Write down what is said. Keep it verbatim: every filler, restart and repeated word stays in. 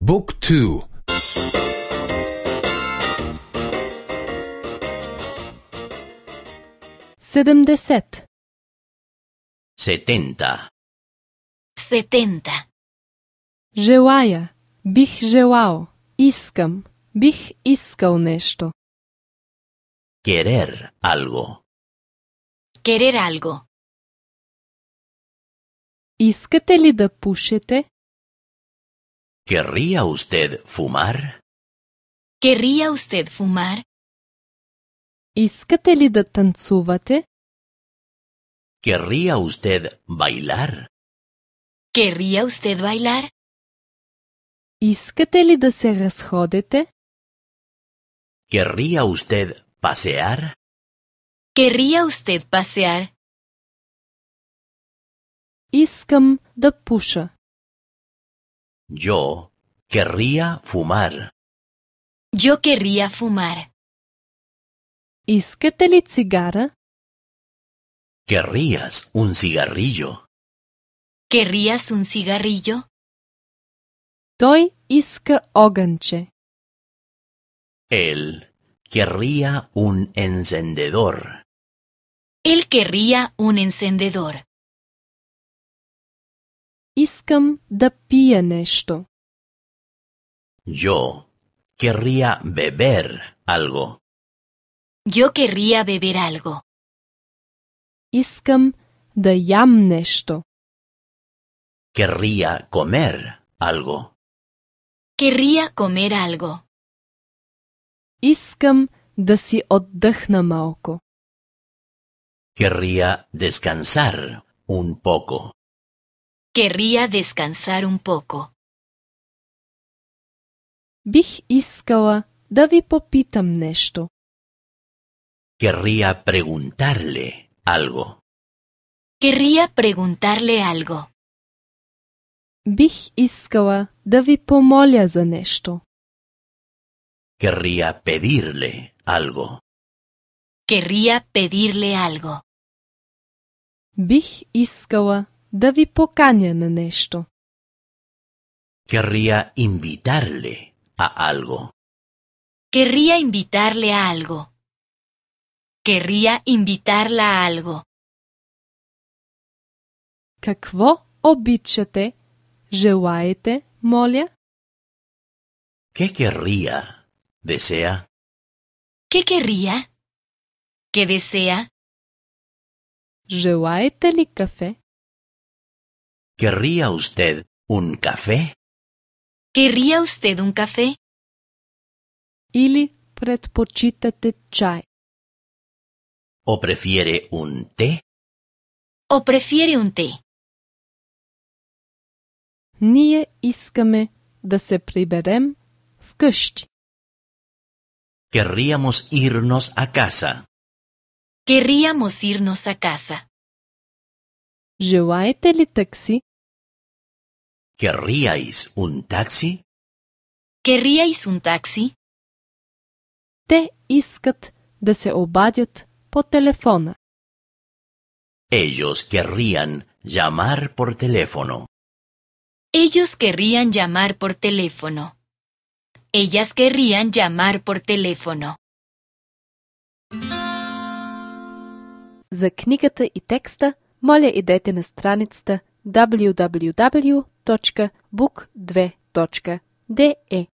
Book two. седемдесет. setenta, setenta. Желая, бих желал, искам, бих искал нещо. querer algo, Querer algo. Искате ли да пушите? ¿querría usted fumar? ¿Querría usted fumar? Искате ли да танцувате? ¿Querría usted bailar? ¿Querría usted bailar? Искате ли да се разходите? ¿Querría usted pasear? ¿Querría usted pasear? Искам да пуша. Yo querría fumar. Yo querría fumar. Искате ли цигара? ¿Querrías un cigarrillo? ¿Querrías un cigarrillo? Той иска огънче. Él querría un encendedor. Él querría un encendedor. Искам да пия нещо. Yo querría beber algo. Yo querría beber algo. Искам да ям нещо. Querría comer algo. Querría comer algo. Искам да си отдъхна малко. Querría descansar un poco. Querría descansar un poco. Бих искала да ви попитам нещо. Querría preguntarle algo. Querría preguntarle algo. Бих искала да ви помоля за нещо. Querría pedirle algo. Querría pedirle algo. Бих искала да ви поканя на нещо. Querría invitarle a algo. Querría invitarle a algo. Querría invitarla a algo. Какво обичате? Желаете, моля? ¿Qué querría? ¿Desea? ¿Qué querría? ¿Qué desea? Желаете ли кафе? ¿Querría usted un café? ¿Querría usted un café? Или предпочитате чай? ¿O prefiere un té? ¿O prefiere un té? Ние искаме да се приберем вкъщи. Querríamos irnos a casa. Querríamos irnos a casa. Желаете ли такси? ¿Querríais un taxi? ¿Querríais un taxi? Те искат да се обадят по телефона. Ellos querrían llamar por teléfono. Ellos querrían llamar por teléfono. Ellas querrían llamar por teléfono. За книгата и текста, моля идете на страницата даблю даблю даблю точка бук две точка де